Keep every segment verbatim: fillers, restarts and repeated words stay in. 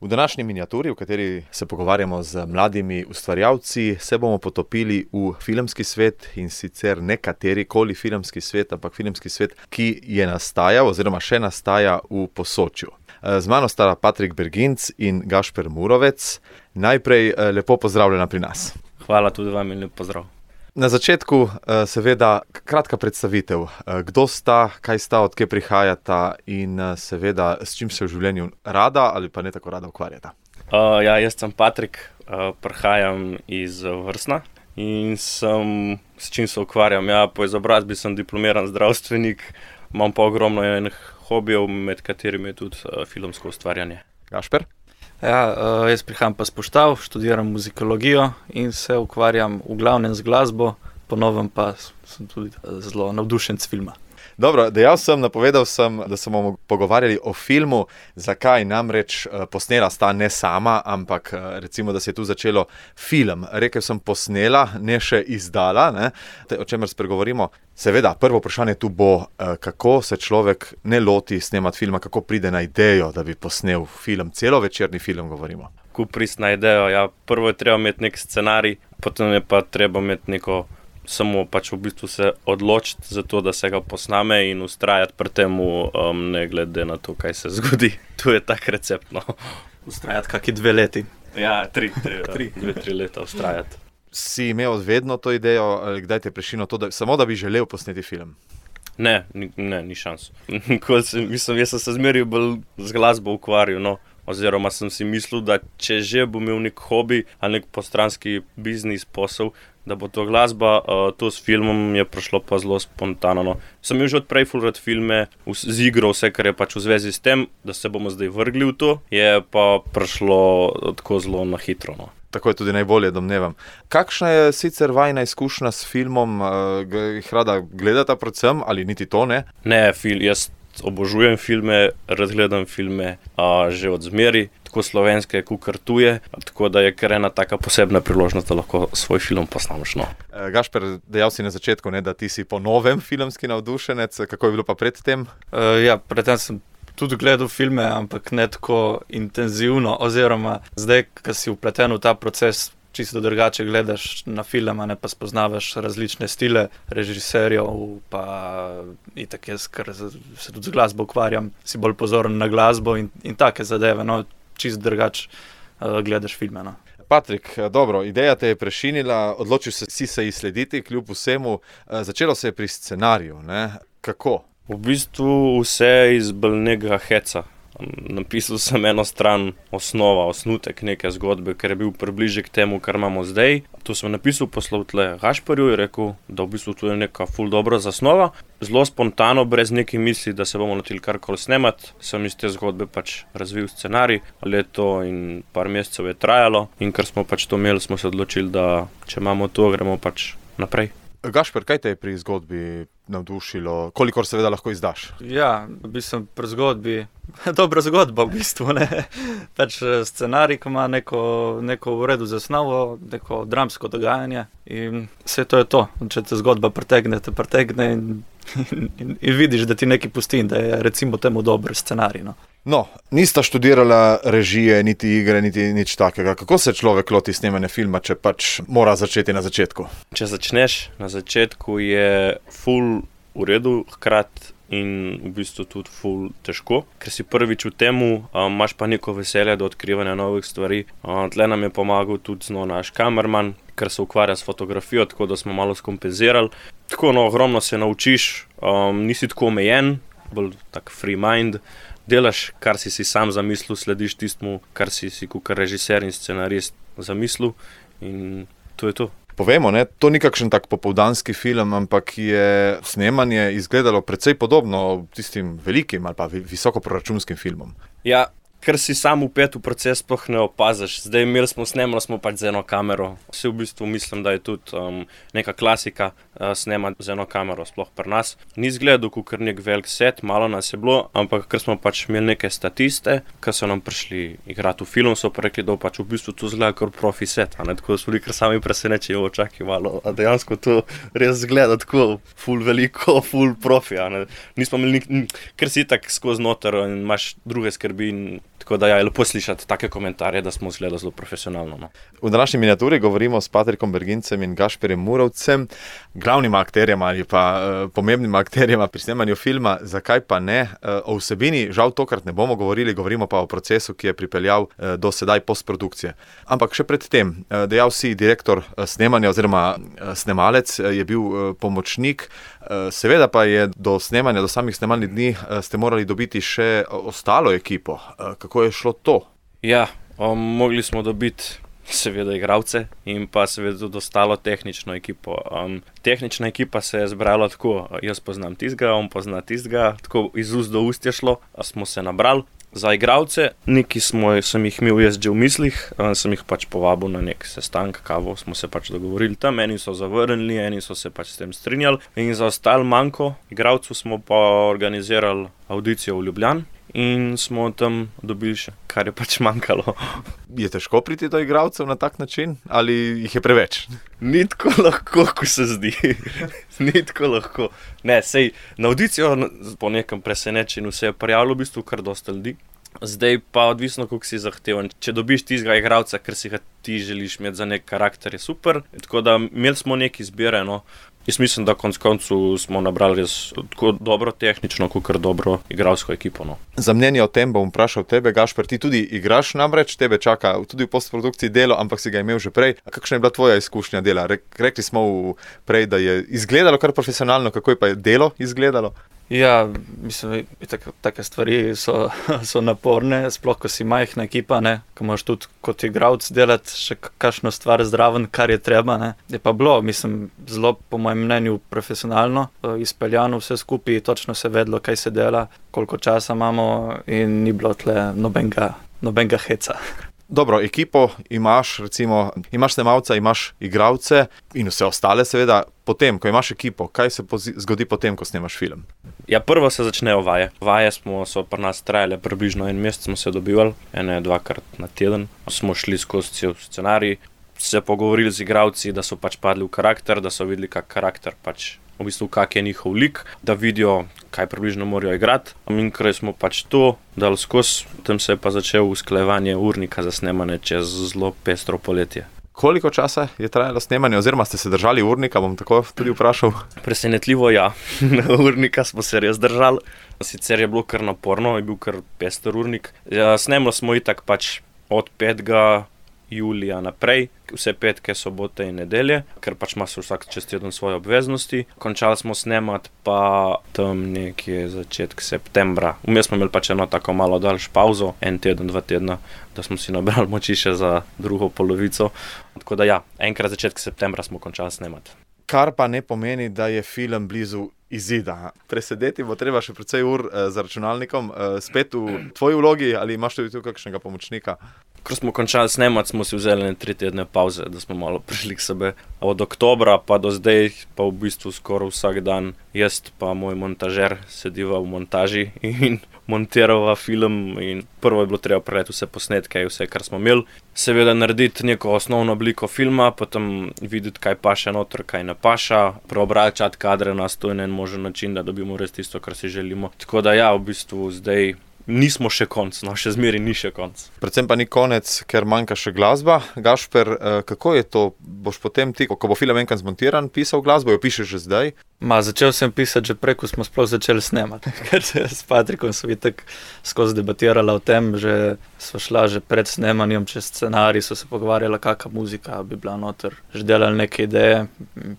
V današnji miniaturi, v kateri se pogovarjamo z mladimi ustvarjalci, se bomo potopili v filmski svet, in sicer ne katerikoli filmski svet, ampak filmski svet, ki je nastajal oziroma še nastaja v Posočju. Z mano sta Patrik Berginc in Gašper Murovec. Najprej lepo pozdravljena pri nas. Hvala tudi vam in lep pozdrav. Na začetku seveda kratka predstavitev. Kdo sta, kaj sta, od kje prihajata in seveda s čim se v življenju rada ali pa ne tako rada ukvarjata? Uh, ja, jaz sem Patrik, uh, prihajam iz Vrsna in sem, s čim se ukvarjam. Ja, po izobrazbi sem diplomiran zdravstvenik, imam pa ogromno enih hobijev, med katerimi je tudi uh, filmsko ustvarjanje. Gašper? Ja, uh, jaz prihajam pa s Poštav, študiram muzikologijo in se ukvarjam v glavnem z glasbo, po novem pa sem tudi zelo navdušen s filma. Dobro, dejal sem, napovedal sem, da se bomo pogovarjali o filmu. Zakaj? Namreč posnela sta ne sama, ampak recimo, da se je tu začelo film. Rekel sem posnela, ne še izdala, ne? O čemer spregovorimo. Seveda, prvo vprašanje tu bo, kako se človek ne loti snemati filma, kako pride na idejo, da bi posnel film, celovečerni film govorimo. Ko prist na idejo, ja, prvo je treba imeti nek scenarij, potem je pa treba imeti neko samo pač v bistvu se odločiti za to, da se ga posname in ustrajati pri temu, um, ne glede na to, kaj se zgodi. Tu je tak recept, no. Ustrajati kaki dve leti. Ja, tri, tri, tri. dve, tri leta ustrajati. Si imel vedno to idejo, ali kdaj te je prešilo to, da, samo da bi želel posneti film? Ne, ni, ne, ni šans. sem, mislim, jaz sem se zmeril bolj z glasbo ukvarjal, no. Oziroma sem si mislil, da če že bom imel nek hobi ali nek postranski biznis posel, da bo to glasba, uh, to s filmom je prišlo pa zelo spontano. No. Sem imel že odprej ful rad filme, z igro, vse, kar je pač v zvezi s tem, da se bomo zdaj vrgli v to, je pa prišlo tako zelo na hitro. No. Tako je tudi najbolje, domnevam. Kakšna je sicer vajna izkušnja s filmom? Uh, jih rada gledata predvsem ali niti to ne? Ne, fil, jaz obožujem filme, rad gledam filme uh, že od zmeri, tako slovenske, kakor tuje, tako da je kar ena taka posebna priložnost, da lahko svoj film posnameš. No. E, Gašper, dejal si na začetku, ne, da ti si po novem filmski navdušenec, kako je bilo pa pred tem? Uh, ja, pred tem sem tudi gledal filme, ampak ne tako intenzivno, oziroma zdaj, ko si vpleten v ta proces, čisto drugače gledaš na film, a ne pa spoznavaš različne stile režiserjev, pa itak jaz, ker se tudi z glasbo ukvarjam, si bolj pozoren na glasbo in, in take zadeve, no, čisto drugače uh, gledaš filme, no. Patrik, dobro, ideja te je prešinila, odločil si, si se ji slediti, kljub vsemu, uh, začelo se je pri scenariju, ne? Kako? V bistvu vse iz bolnega heca. Napisal sem eno stran osnova, osnutek neke zgodbe, ker je bil približje k temu, kar imamo zdaj. To sem napisal, poslal tle Gašperju in rekel, da v bistvu tu je neka ful dobra zasnova. Zelo spontano, brez nekih misli, da se bomo notili karkoli snemati, sem iz te zgodbe pač razvil scenarij. Leto in par mesecev je trajalo in ker smo pač to imeli, smo se odločili, da če imamo to, gremo pač naprej. Gašper, kaj te je pri zgodbi navdušilo, kolikor seveda lahko izdaš? Ja, v bistvu pri zgodbi, dobra zgodba v bistvu, ne. Pač scenarij, ko ima neko, neko v redu zasnovo, neko dramsko dogajanje in vse to je to. Če te zgodba pretegne, te pretegne in, in, in, in vidiš, da ti nekaj pusti, da je recimo temu dober scenarij, no. No, nista študirala režije, niti igre, niti nič takega. Kako se človek loti snemanja filma, če pač mora začeti na začetku? Če začneš na začetku, je ful v redu, hkrati in v bistvu tudi ful težko, ker si prvič v temu, um, imaš pa neko veselje do odkrivanja novih stvari. Um, tle nam je pomagal tudi no, naš kamerman, ker se ukvarja s fotografijo, tako da smo malo skompenzirali. Tako, no, ogromno se naučiš, um, nisi tako omejen, bolj tak free mind. Delaš, kar si si sam zamislil, slediš tistmu, kar si si kakor režiser in scenarist zamislil in to je to. Povemo, ne, to ni kakšen tak popoldanski film, ampak je snemanje izgledalo precej podobno tistim velikim ali pa visokoproračunskim filmom. Ja, ker si sam vpet v proces, sploh ne opaziš. Zdaj imeli smo snemali smo pač z eno kamero. Vse v bistvu mislim, da je tudi um, neka klasika uh, snemati z eno kamero, sploh pri nas. Ni izgledal kakor nek velik set, malo nas je bilo, ampak ker smo pač imeli neke statiste, ki so nam prišli igrati v film, so pa rekli, da pač v bistvu to izgleda kot profi set. A ne? Tako da smo bili kar sami presenečeni, jo čakaj malo, a dejansko to res izgleda tako ful veliko, ful profi. A ne? Nismo imeli nik, ker si tak skozi noter in imaš druge skrbi in Tako da ja, je lepo slišati take komentarje, da smo izgledali zelo profesionalno. No. V današnji miniaturi govorimo s Patrikom Bergincem in Gašperjem Murovcem, glavnima akterjema ali pa uh, pomembnima akterjema pri snemanju filma. Zakaj pa ne? Uh, o vsebini žal tokrat ne bomo govorili, govorimo pa o procesu, ki je pripeljal uh, do sedaj postprodukcije. Ampak še pred tem, uh, dejal si direktor uh, snemanja oziroma uh, snemalec, uh, je bil uh, pomočnik, uh, seveda pa je do snemanja, do samih snemalnih dni uh, ste morali dobiti še ostalo ekipo. Uh, kako je šlo to? Ja, um, mogli smo dobiti seveda igralce in pa seveda tudi ostalo tehnično ekipo. Um, tehnična ekipa se je zbrala tako, jaz poznam tistega, on pozna tistega, tako iz ust do ust je šlo, smo se nabrali. Za igralce, neki smo, sem jih imel jaz že v mislih, um, sem jih pač povabil na nek sestank, kavo, smo se pač dogovorili tam, eni so zavrnili, eni so se pač s tem strinjali. In za ostal manjko igralcev smo pa organizirali audicijo v Ljubljani. In smo tam dobili še, kar je pač manjkalo. Je težko priti do igralcev na tak način ali jih je preveč? Ni tako lahko, ko se zdi. Ni tako lahko. Ne, sej, na audicijo po nekem presenečenju se je prijavilo v bistvu kar dosta ljudi. Zdaj pa odvisno, koliko si zahteven. Če dobiš tistega igralca, ker si ga ti želiš imeti za nek karakter, je super. Tako da imeli smo nek izbire, no. Jaz mislim, da konc koncu smo nabrali res tako dobro tehnično, kot dobro igralsko ekipo. No. Za mnenje o tem bom vprašal tebe, Gašper, ti tudi igraš namreč, tebe čaka tudi v postprodukciji delo, ampak si ga imel že prej. Kakšna je bila tvoja izkušnja dela? Rekli smo prej, da je izgledalo kar profesionalno, kako je pa delo izgledalo? Ja, mislim, da take stvari so, so naporne, sploh ko si majhna ekipa, ne, ko moraš tudi kot igralec delati še kakšno stvar zraven, kar je treba, ne. Je pa bilo, mislim, zelo po mojem mnenju profesionalno, izpeljano vse skupaj, točno se vedlo, kaj se dela, koliko časa imamo in ni bilo tle nobenega, nobenega heca. Dobro, ekipo imaš, recimo, imaš snemalca, imaš igralce in vse ostale seveda. Potem, ko imaš ekipo, kaj se zgodi potem, ko snemaš film? Ja, prvo se začnejo vaje. Vaje smo, so pri nas trajale približno en mesec, smo se dobivali, ene dvakrat na teden. Smo šli skozi cel scenarij, se pogovorili z igralci, da so pač padli v karakter, da so videli, kak karakter pač, v bistvu, kak je njihov lik, da vidijo, kaj približno morajo igrati. In ker smo pač to dali skozi, tam se je pa začelo usklajevanje urnika za snemanje čez zelo pestro poletje. Koliko časa je trajalo snemanje, oziroma ste se držali urnika, bom tako tudi vprašal? Presenetljivo, ja. Urnika smo se res držali. Sicer je bilo kar naporno, je bil kar pester urnik. Ja, snemali smo itak pač od petega julija naprej, vse petke, sobote in nedelje, ker pač ima se vsak čez teden svoje obveznosti. Končali smo snemati pa tam nekje začetek septembra. Vmes smo imeli pač eno tako malo daljš pauzo, en teden, dva tedna, da smo si nabrali moči še za drugo polovico. Tako da ja, enkrat začetek septembra smo končali snemati. Kar pa ne pomeni, da je film blizu izida. Presedeti bo treba še precej ur eh, za računalnikom, eh, spet v tvoji vlogi ali imaš tudi tu kakšnega pomočnika? Ko smo končali snemati, smo si vzeli tri tedne pauze, da smo malo prišli k sebe. Od oktobra pa do zdaj, pa v bistvu skoraj vsak dan, jaz pa moj montažer sediva v montaži in montirava film. In prvo je bilo treba prejeti vse posnetke, vse, kar smo imeli. Seveda narediti neko osnovno obliko filma, potem videti, kaj paše noter, kaj ne paša, preobračati kadre na sto in en možen način, da dobimo res tisto, kar si želimo. Tako da ja, v bistvu zdaj nismo še konc, no še zmeri ni še konc. Predvsem pa ni konec, ker manjka še glasba. Gašper, kako je to? Boš potem ti, ko bo film enkrat zmontiran, pisal glasbo, jo pišeš že zdaj? Ma, začel sem pisati že prej, ko smo sploh začeli snemati, ker se s Patrikom so itak skozi debatirala o tem, že sva šla že pred snemanjem čez scenarij, so se pogovarjala, kakšna muzika bi bila noter, že delali neke ideje,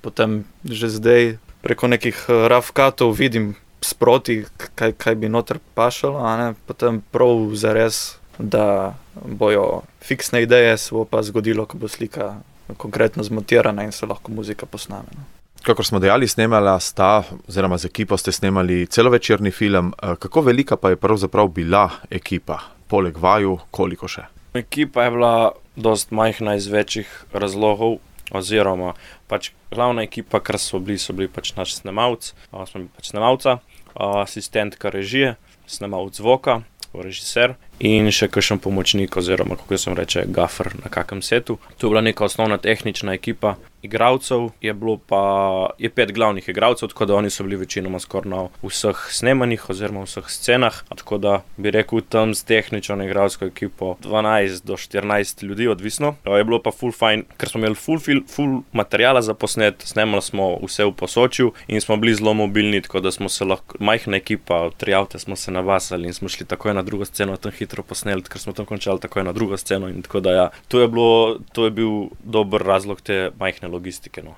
potem že zdaj preko nekih rough cutov vidim sproti, kaj, kaj bi noter pašalo, a ne, potem prav zares, da bojo fiksne ideje, se bo pa zgodilo, ko bo slika konkretno zmontirana in se lahko muzika posname. No. Kakor smo dejali, snemala sta, oziroma z ekipo ste snemali celovečerni film. Kako velika pa je pravzaprav bila ekipa? Poleg vaju, koliko še? Ekipa je bila dost majhna iz večjih razlogov, oziroma pač glavna ekipa, kar so bili, so bili pač naš snemalc, smo bili pač snemalca, asistentka režije, snemalc zvoka, režiser in še kakšen pomočnik oziroma, kako sem reče, gaffer na kakem setu. To je bila neka osnovna tehnična ekipa. Igralcev je bilo pa, je pet glavnih igralcev, tako da oni so bili večinoma skoraj na vseh snemanjih oziroma vseh scenah, tako da bi rekel tam s tehnično igralsko ekipo dvanajst do štirinajst ljudi, odvisno. Je bilo pa full fajn, ker smo imeli full, full, full materijala za posnet, snemali smo vse v Posočju in smo bili zelo mobilni, tako da smo se lahko, majhna ekipa, tri avte smo se navasali in smo šli takoj na drugo sceno, tam hitro posneli, ker smo tam končali takoj na drugo sceno in tako da ja, to je bilo, to je bil dober razlog te majhne logistike. No.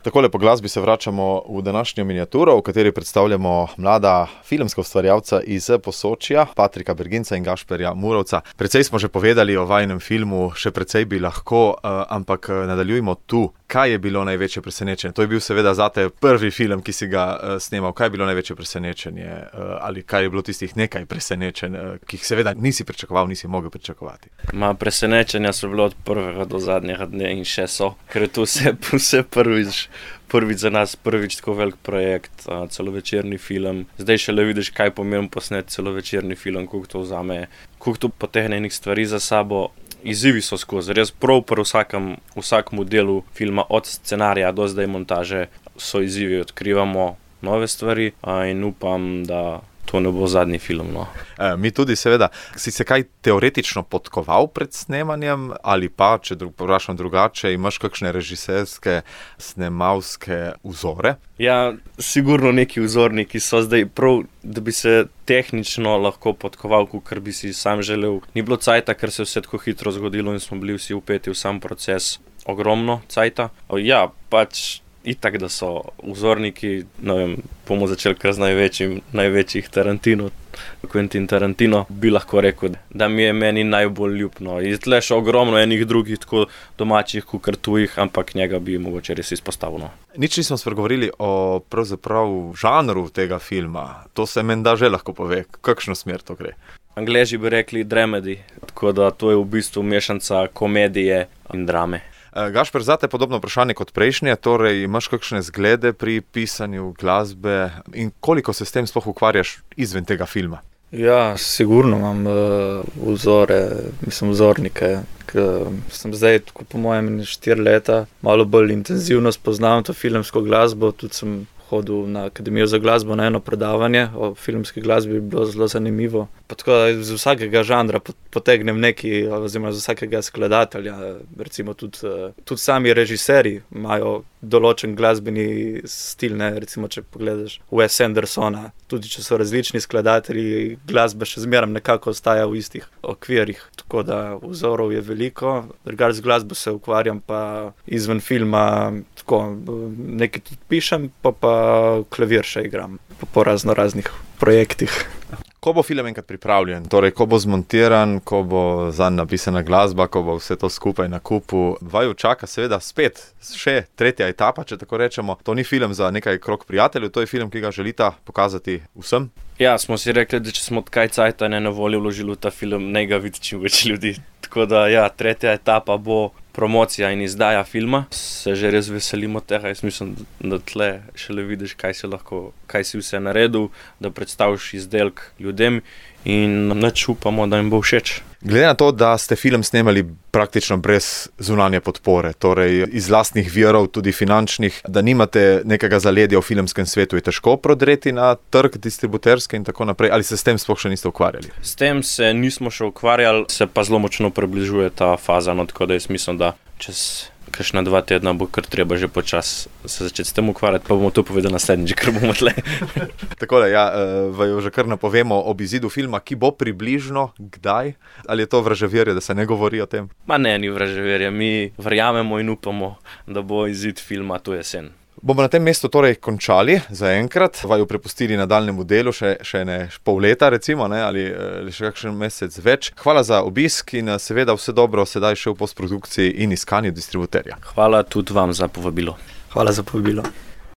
Takole po glasbi se vračamo v današnjo miniaturo, v kateri predstavljamo mlada filmska ustvarjalca iz Posočja, Patrika Berginca in Gašperja Murovca. Precej smo že povedali o vajinem filmu, še precej bi lahko, ampak nadaljujmo tu. Kaj je bilo največje presenečenje? To je bil seveda zate prvi film, ki si ga snemal. Kaj je bilo največje presenečenje? Ali kaj je bilo tistih nekaj presenečenj, ki jih seveda nisi pričakoval, nisi mogel pričakovati? Ma, presenečenja so bilo od prvega do zadnjega dne in še so, ker je to vse, vse prvič, prvič za nas, prvič tako velik projekt, celovečerni film. Zdaj šele vidiš, kaj pomeni posnet celovečerni film, koliko to vzame, koliko to potegne enih stvari za sabo. Izzivi so skozi, res prav pri vsakem, vsakemu delu filma, od scenarija do zdaj montaže, so izzivi, odkrivamo nove stvari in upam, da to ne bo zadnji film. No. E, mi tudi seveda. Si se kaj teoretično podkoval pred snemanjem ali pa, če vprašam drugače, imaš kakšne režiserske, snemalske vzore? Ja, sigurno neki vzorniki so zdaj prav, da bi se tehnično lahko podkoval, kar bi si sam želel. Ni bilo cajta, ker se je vse tako hitro zgodilo in smo bili vsi vpeti v sam proces. Ogromno cajta. Ja, pač itak, da so vzorniki, ne vem, bomo začeli kar z največjim, največjih Tarantino, Quentin Tarantino, bi lahko rekel, da mi je meni najbolj ljubno. In tle še ogromno enih drugih, tako domačih, kakor tujih, ampak njega bi mogoče res izpostavil. Nič nismo spregovorili o pravzaprav žanru tega filma. To se menda že lahko pove, kakšno smer to gre. Angleži bi rekli dramedy, tako da to je v bistvu mešanca komedije in drame. Gašper, zate podobno vprašanje kot prejšnje, torej imaš kakšne zglede pri pisanju glasbe in koliko se s tem sploh ukvarjaš izven tega filma? Ja, sigurno imam uh, vzore, mislim vzornike, ker sem zdaj, tako po mojem, štiri leta, malo bolj intenzivno spoznavam to filmsko glasbo, tudi sem hodil na Akademijo za glasbo na eno predavanje o filmski glasbi, bi bilo zelo zanimivo. Pa tako da iz vsakega žanra potegnem neki, oziroma iz vsakega skladatelja, recimo tudi, tudi sami režiserji imajo določen glasbeni stil, ne, recimo če pogledaš Wes Andersona, tudi če so različni skladatelji, glasba še zmeraj nekako ostaja v istih okvirih, tako da vzorov je veliko. Drugače z glasbo se ukvarjam pa izven filma, tako nekaj tudi pišem, pa pa klavir še igram, pa po razno raznih projektih. Ko bo film enkrat pripravljen, torej ko bo zmontiran, ko bo zanj napisana glasba, ko bo vse to skupaj na kupu, vaju čaka seveda spet še tretja etapa, če tako rečemo. To ni film za nekaj krog prijateljev, to je film, ki ga želita pokazati vsem. Ja, smo si rekli, da če smo tkaj cajta ne na voljo vložili v ta film, ne ga vidi čim več ljudi. Tako da ja, tretja etapa bo promocija in izdaja filma. Se že res veselimo tega, jaz mislim, da tle šele vidiš, kaj si lahko, kaj si vse naredil, da predstaviš izdelek ljudem in nič upamo, da jim bo všeč. Glede na to, da ste film snemali praktično brez zunanje podpore, torej iz lastnih virov, tudi finančnih, da nimate nekega zaledja v filmskem svetu, je težko prodreti na trg distributerske in tako naprej, ali se s tem sploh še niste ukvarjali? S tem se nismo še ukvarjali, se pa zelo močno približuje ta faza, no, tako da jaz mislim, da čez kakšna dva tedna bo kar treba že počas se začeti s tem ukvarjati, pa bomo to povedali naslednjič, ker bomo tle. Takole, ja, vaju že kar napovemo ob izidu filma, ki bo približno kdaj? Ali je to vraževerje, da se ne govori o tem? Ma ne, ni vraževerje, mi verjamemo in upamo, da bo izid filma to jesen. Bomo na tem mestu torej končali za enkrat, vaju prepustili nadaljnemu delu, še, še ne pol leta recimo, ne, ali še kakšen mesec več. Hvala za obisk in seveda vse dobro sedaj še v postprodukciji in iskanju distributerja. Hvala tudi vam za povabilo. Hvala za povabilo.